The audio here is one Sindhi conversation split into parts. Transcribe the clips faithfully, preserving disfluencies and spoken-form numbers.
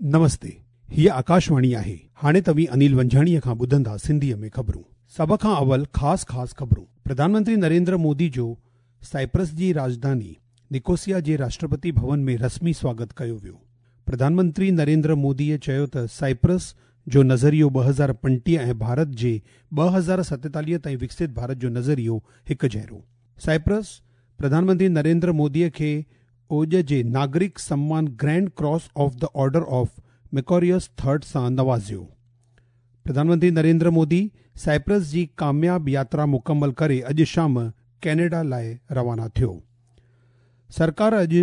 نمستي، هيءَ آڪاشواڻي آهي. هاڻي توهين انيل ونجهاڻيء کان ٻڌندا سنڌيءَ ۾ خبرون. سڀ کان اول خاص خاص خبرون. پرڌان منتري نريندر مودي جو سائپرس جي راڄڌاني نڪوسيا جي راشٽرپتي ڀون ۾ رسمي سواگت ڪيو ويو. پرڌان منتري نريندر موديءَ چيو ته سائپرس جو نظريو ٻه هزار پنجٽيهه ۽ ڀارت جي ٻه هزار ستيتاليهه تائين وڪست ڀارت جو نظريو هڪ جهڙو. سائپرس پرڌان منتري نريندر موديءَ کي اوڄ جي ناگرڪ سمان Grand Cross of the Order of Makarios Third سان نوازيو. پرڌان منتري نريندر مودي سائپرس جي ڪامياب ياترا مڪمل ڪري اڄ شام ڪينيڊا لاءِ روانا ٿيو. سرڪار اڄ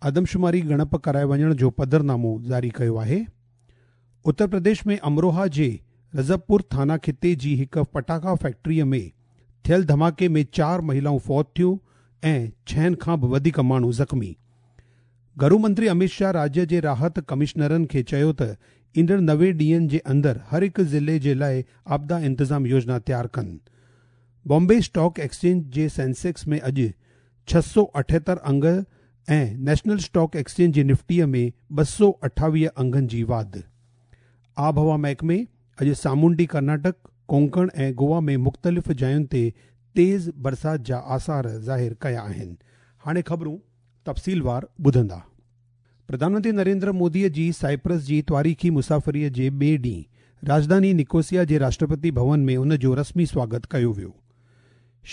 آدمشماري ڳڻپ ڪرائي وڃڻ جو پڌرنامو جاري ڪيو آهي. اتر پرديش ۾ امروها جي رجبپور ٿانا خطي جي هڪ پٽاخا فيڪٽريءَ ۾ ٿيل ڌماڪي ۾ چار مهلائون فوت ٿيون ۽ ڇهن کان به وڌيڪ ماڻهو زخمي. گهرو منتري امت شاهه راجيه جي راحت ڪمشنرن کي چيو ته ايندڙ نوي ڏينهن جي اندر هر هڪ ضلعي جي لاءِ آپدا انتظام يوجنا تيار ڪن. بامبي اسٽاڪ ايڪسچينج جي سينسيڪس ۾ اڄ ڇهه سؤ اٺهتر انگ ۽ نيشنل اسٽاڪ ايڪسچينج جي نفٽيءَ ۾ ٻه سؤ اٺاويهه انگن جي واڌ. آبهوا محڪمي اڄ سامونڊي ڪرناٽڪ، ڪونڪڻ ۽ گوا ۾ مختلف جاين تي تيز برسات جا آثار ظاهر ڪيا آهن. هاڻي خبرون تفصيلوار ٻڌندا. پرڌان منتري نريندر موديءَ جي سائپرس جي تواريخي مسافريءَ جي ٻئي ڏينهن راڄڌاني نڪوسيا جي راشٽرپتي ڀون ۾ ان جو رسمي سواگت ڪيو ويو.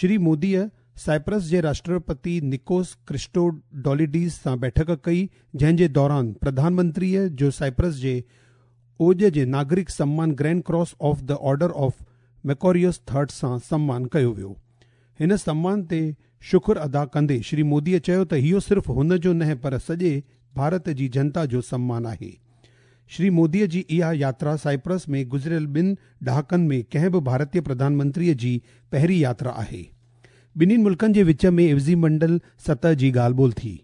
شري موديءَ سائپرس جي راشٽرپتي نڪوس ڪرسٽوڊوليڊيز سان بيٺڪ ڪئي، جنهن جي دوران پرڌان منتريءَ جو سائپرس جي اوڄ جي ناگرڪ سمان Grand Cross of the Order of Makarios Third سان سمان ڪيو ويو. هن سمان تي شڪر ادا ڪندي شري موديءَ چيو ته اهو صرف هن جو نه پر سڄي ڀارت جي جنتا جو سمان آهي. شري موديءَ جي اها ياترا سائپرس ۾ گذريل ٻن ڏهاڪن ۾ ڪنهن به ڀارتيه پرڌان منتريءَ جي پهرين ياترا آهي. ٻنهي ملڪن جي وچ ۾ عيوضي منڊل سطح جي ڳالهه ٻولهه ٿي،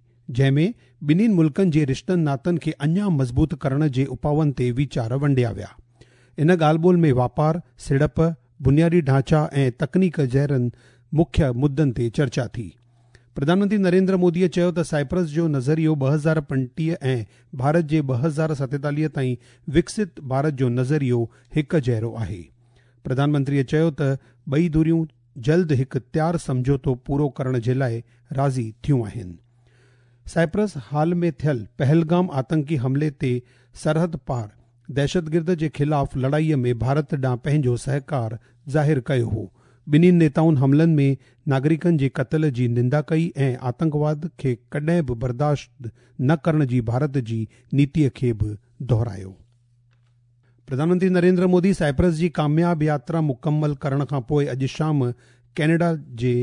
جنهن ۾ ٻنهي ملڪن جي رشتن ناتن کي اڃا مضبوط ڪرڻ جي اپائن تي ويچار ونڊيا ويا. ان ڳالهه ٻولهه ۾ واپار، سيڙپ، بنيادي ڍانچا ۽ تڪنيڪ جهڙن مکيه مدن تي چرچا ٿي. پرڌان منتري نريندر موديءَ چيو ته سائپرس جو نظريو ٻه هزار پنجٽيهه ۽ ڀارت جي ٻه هزار ستيتاليهه تائين وڪست ڀارت جو نظريو هڪ جهڙو آهي. پرڌان منتريءَ چيو ته ٻئي ڌريون جلد هڪ تيار سمجهوتو پورو ڪرڻ جي لاءِ راضي ٿيون آهن. سائپرس حال ۾ ٿيل پهلگام آتنڪي حملي تي سرحد پار دهشتگرد جي خلاف لڙائيءَ ۾ ڀارت ڏانهن پنهنجو سهڪار ظاهر ڪيو هو. ٻنهي نيتائن حملن ۾ ناگرڪن جي قتل جي نندا ڪئي ۽ آتنڪواد کي ڪڏهن به برداشت نه ڪرڻ جي ڀارت جي نيتيءَ کي به دهرايو. پرڌان منتري نريندر مودي سائپرس جي ڪامياب ياترا مڪمل ڪرڻ کان پوءِ اڄ شام ڪينيڊا جي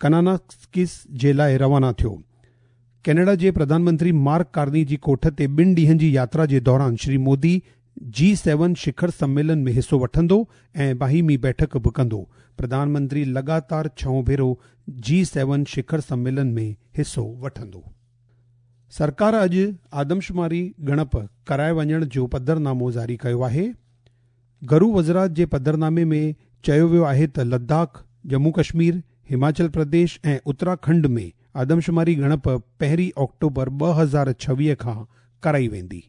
ڪناناسڪس جي لاءِ روانا ٿيو. ڪينيڊا جي پرڌان منتري مارڪ ڪارني جي ڪوٺ تي ٻن ڏينهن جي ياترا جي دوران شري مودي جي سيون شکر سميلن ۾ حصو وٺندو ۽ باهمي بيٺڪ به ڪندو. پرڌان منتري لڳاتار ڇهون ڀيرو جي سيون شکر سميلن ۾ حصو وٺندو. سرڪار اڄ آدمشماري ڳڻپ ڪرائي وڃڻ جو پڌرنامو جاري ڪيو آهي. گهرو وزارت جي پڌرنامي ۾ چيو ويو آهي ته لداخ، ڄمون ڪشمير، هماچل پرديش ۽ اتراکنڊ ۾ آدمشماري ڳڻپ پهرين آڪٽوبر ٻه هزار ڇويهه کان ڪرائي ويندي.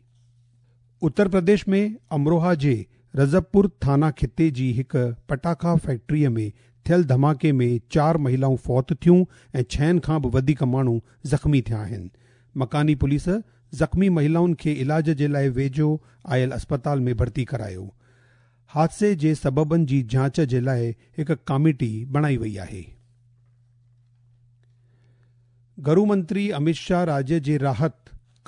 اتر پرديش ۾ امروها جي رجبپور ٿانا خطي جي هڪ پٽاخا فيڪٽريءَ ۾ ٿيل ڌماڪي ۾ چار مهلائون فوت ٿيون ۽ ڇهن کان به وڌيڪ ماڻهو زخمي ٿيا آهن. مڪاني پوليس زخمي مهلائن کي علاج جي لاءِ ويجهو آيل اسپتال ۾ ڀرتي ڪرايو. حادثي جي سببن جي جاچ جي لاءِ هڪ ڪاميٽي بڻائي وئي آهي. گهرو منتري امت شاهه راجيه جي راحت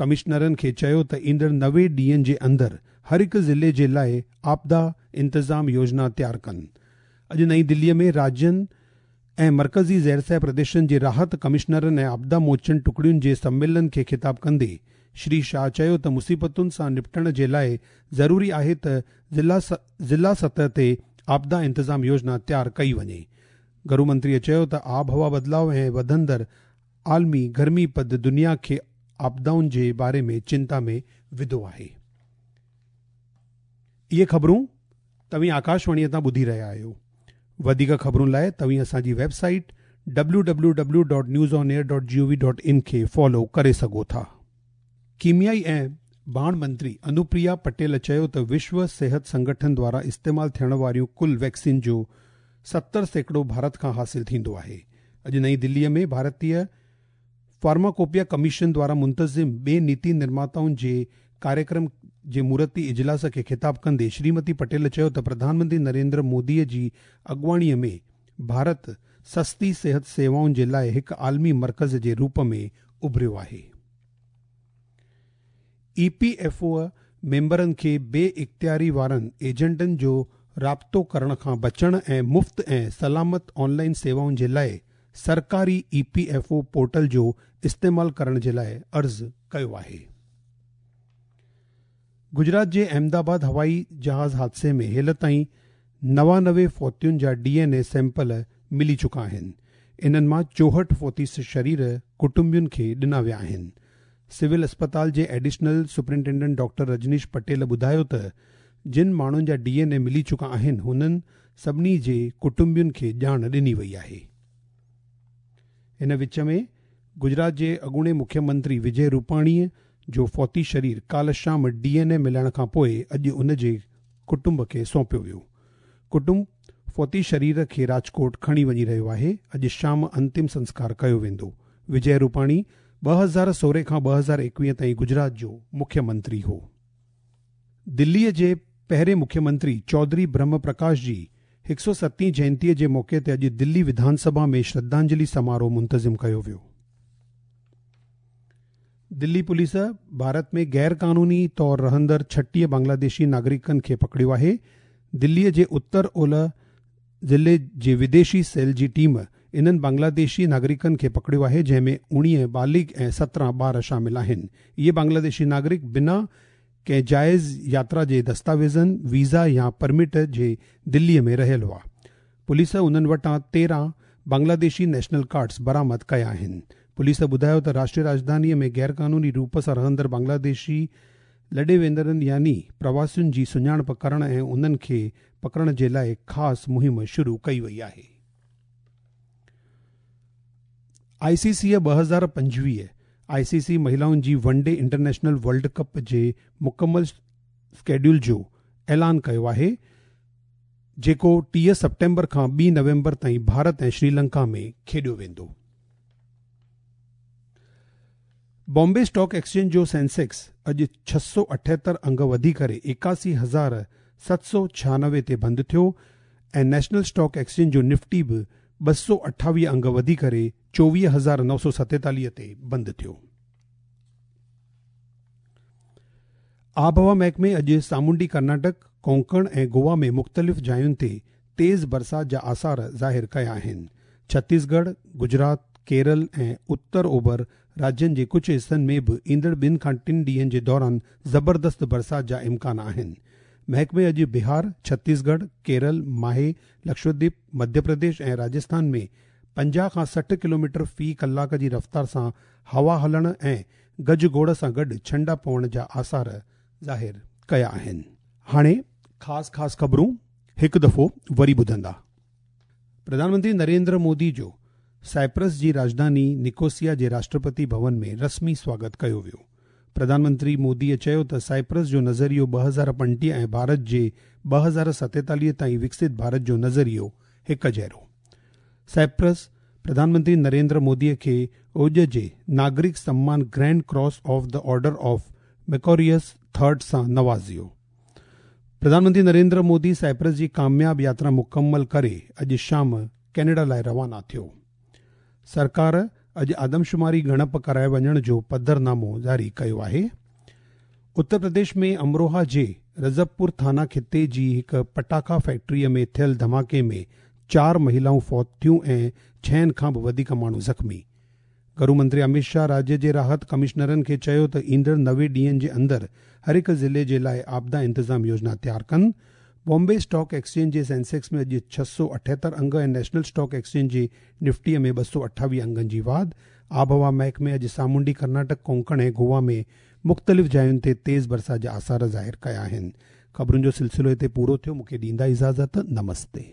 ڪمشنرن کي چيو ته ايندڙ نوي ڏينهن جي اندر هر هڪ ضلعي جي لاءِ آپدا انتظام يوجنا تيار ڪن. اڄ نئين دليءَ ۾ راجين ۽ مرڪزي زيرسه پرديشن جي راحت ڪمشنرن ۽ آپدا موچن ٽڪڙين جي سميلن کي خطاب ڪندي شري شاهه چيو ته مصيبتن سان نپٽڻ جي لاءِ ضروري آهي ته ضلع ضلع سطح تي آپدا انتظام يوجنا تيار ڪئي وڃي. گهرو منتريءَ چيو ته آبهوا بدلاءُ ۽ وڌندڙ عالمي گرمي پد دنيا کي آپدائن جي باري ۾ چنتا ۾ وڌو آهي. اهي خبرون توهين آڪاشواڻيءَ تان ٻڌي رهيا آهيو. وڌيڪ خبرن لاءِ توهين اسان جي website W W W dot news on air dot G O V dot in کي فالو ڪري سگهو ٿا. ڪيميائي ۽ ڀاڻ منتري انوپريا پٽيل چيو ته وشو صحت سنگٺن دوارا استعمال ٿيڻ واريون ڪل ويڪسين جو ستر سيڪڙو ڀارت کان حاصل ٿيندو آهي. اڄ نئين دليء ۾ ڀارتيه فارماڪوپيا ڪميشن دوارا منتظم ٻئي نيتي نرماتائن جي ڪاريڪرم جي مورتي اجلاس کي خطاب ڪندي شريمتي پٽيل چيو ته پرڌان منتري نريندر موديء جي اڳواڻيء ۾ ڀارت سستي صحت سيوائن جي لاءِ هڪ عالمي مرڪز جي روپ ۾ اڀريو آهي. اي پي ايف او ميمبرن کي بي اختياري وارن ايجنٽن جو رابطو ڪرڻ کان بچڻ ۽ مفت ۽ سلامت آنلائن سيوائن جي لاءِ سرڪاري E P F O portal جو استعمال ڪرڻ جي لاءِ عرض ڪيو آهي. گجرات جي احمدآباد هوائي جهاز حادثي ۾ هيل تائين نوانوي فوتين جا ڊي اين اي سيمپل ملي چڪا آهن. انهن مان چوهٺ فوتي شرير ڪٽنبن کي ڏنا ويا آهن. سول اسپتال جي additional superintendent doctor Rajneesh Patel ٻڌايو ته جن ماڻهن جا ڊي اين اي ملي چڪا آهن هنن سڀني جي ڪٽنبن کي ڄاڻ ڏني وئي آهي. هن وچ ۾ گجرات جي اڳوڻي مکيه منتري وجي روپاڻيءَ جو فوتي شرير ڪالهه شام ڊي اين اي ملڻ کان پوءِ اڄ ان جي ڪٽنب کي سونپيو ويو. ڪٽنب فوتي شرير کي راجڪوٽ کڻي وڃي رهيو آهي. اڄ شام انتم سنسڪار ڪيو ويندو. وجي روپاڻي ٻه هزار سورهن کان ٻه هزار ايڪويهه تائين گجرات جو مکيه منتري هو. دليءَ جي پهرين مکيه منتري چوڌري برهم پرڪاش جي هڪ سؤ ستين جينتيءَ جي موقعي تي اڄ دلي وڌان سڀا ۾ شرڌانجلي سماروهه منتظم ڪيو ويو. دلي پوليس ڀارت ۾ غير قانوني طور رهندڙ ڇٽيهه بنگلاديشي ناگرڪن کي پڪڙيو آهي. دليءَ جي اتر اولهه ضلعي جي وديشي سيل جي ٽيم انهن بنگلاديشي ناگرڪن کي پڪڙيو آهي، جنهن ۾ اڻويهه بالغ ۽ سترهن ٻار شامل آهن. اهي بنگلاديشي ناگرڪ بنا ڪنهن جائز ياترا جي دستاويزن، ويزا يا پرمٽ جي دليءَ ۾ رهيل هئا. پوليس انهن وٽان تيرهن بنگلاديشي نيشنل ڪارڊز برآمد ڪيا آهن. پوليس ٻڌايو ته راشٽريه راڄڌانيءَ ۾ غير قانوني روپ سان رهندڙ بنگلاديشي لڏي ويندڙن يعني پرواسين جي سڃاڻپ ڪرڻ ۽ انهن کي پڪڙڻ جي لاءِ خاص مهم شروع ڪئي وئي آهي. آئي سي سيءَ ٻه هزار پنجويهه آئي سي سي مهلائن جي one day international world cup جي مڪمل اسڪيڊيول جو اعلان ڪيو آهي، جيڪو ٽيهه سيپٽمبر کان ٻي نومبر تائين ڀارت ۽ شري لنڪا ۾ کيڏيو ويندو. بامبي اسٽاڪ ايڪسچينج جو سينسيڪس اڄ ڇهه سؤ اٺهتر انگ وڌي ڪري ايڪاسي هزار ست سؤ ڇهانوي تي بند ٿيو ۽ نيشنل اسٽاڪ ايڪسچينج جو نفٽي به ٻه سؤ اٺاويهه انگ وڌي ڪري چوويهه هزار نو سؤ ستيتاليهه تي بند ٿيو. آبهوا محڪمي اڄ سامونڊي ڪرناٽڪ، ڪونڪڻ ۽ گوا ۾ مختلف جاين تي تيز برسات جا آثار ظاهر ڪيا آهن. ڇتيسڳڙهه، گجرات، ڪيرل ۽ اتر اوڀر راجين جي ڪجهه حصن ۾ به ايندڙ ٻن کان ٽن ڏينهن جي دوران زبردست برسات جا امڪان آهن. محڪمي اڄ بهار، ڇتيسڳڙهه، ڪيرل، ماهي، لڪشدويپ، مڌيه پرديش ۽ راجسٿان ۾ پنجاهه کان سٺ ڪلوميٽر في ڪلاڪ جي رفتار سان هوا هلڻ ۽ گجگوڙ سان گڏ ڇنڊا پوڻ جا آثار ظاهر ڪيا آهن. هاڻي خاص خاص خبرون هڪ دفعو وري ٻڌندا. پرڌان منتري نريندر مودي جو سائپرس جي راڄڌاني نڪوسيا جي راشٽرپتي ڀون ۾ رسمي سواگت ڪيو ويو. پرڌان منتري موديءَ چيو ته سائپرس جو نظريو ٻه هزار پنجٽيهه ۽ ڀارت جي ٻه هزار ستيتاليهه تائين وڪست ڀارت جو نظريو هڪ جهڙو. سائپرس پرڌان منتري نريندر موديءَ کي اوڄ جي ناگرڪ سمان grand cross of the order of Makarios third سان نوازيو. پرڌان منتري نريندر مودي سائپرس جي ڪامياب ياترا مڪمل ڪري اڄ شام ڪينيڊا لاءِ روانا ٿيو. سرڪار اڄ آدمشماري ڳڻپ ڪرائي وڃڻ جو پڌرنامو جاري ڪيو آهي. اتر پرديش ۾ امروها جي رجبپور ٿانا خطي جي هڪ پٽاخا فيڪٽريءَ ۾ ٿيل ڌماڪي ۾ چار مهلائون فوت ٿيون ۽ ڇهن کان به وڌيڪ ماڻهو زخمي. گهرو منتري امت شاهه راجيه جي راحت ڪمشنرن کي چيو ته ايندڙ نوي ڏينهن جي اندر هر هڪ ضلعي جي لاءِ آپدا انتظام يوجنا تيار ڪن. بامبي اسٽاڪ ايڪسچينج جي سينسيڪس ۾ اڄ ڇهه سؤ اٺهتر انگ ۽ نيشنل اسٽاڪ ايڪسچينج جي نفٽيءَ ۾ ٻه سؤ اٺاويهه انگن جي واڌ. آبهوا محڪمي اڄ سامونڊي ڪرناٽڪ، ڪونڪڻ ۽ گوا ۾ مختلف جاين تي تيز برسات جا آثار ظاهر ڪيا آهن. خبرن جو سلسلو هتي پورو ٿيو. مون کي ڏيندا اجازت. نمستي.